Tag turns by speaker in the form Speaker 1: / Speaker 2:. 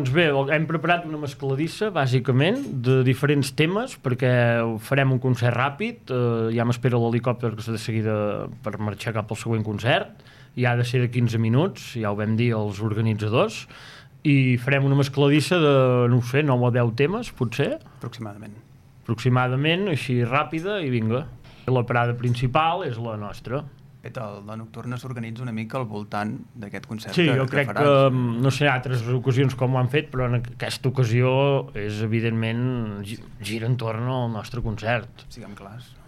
Speaker 1: Doncs bé, hem preparat una mescladissa, bàsicament, de diferents temes, perquè farem un concert ràpid, ja m'espera l'helicòpter que és de seguida per marxar cap al següent concert, i ha de ser de 15 minuts, ja ho vam dir als organitzadors, i farem una mescladissa de, no ho sé, 9 o 10 temes, potser? Aproximadament, així ràpida, i vinga. La parada principal és la nostra.
Speaker 2: La Nocturna s'organitza una mica al voltant d'aquest concert
Speaker 1: que faràs. Sí, jo crec que, no sé, altres ocasions com ho han fet, però en aquesta ocasió és, evidentment, gira entorn al nostre concert.
Speaker 2: Siguem clars.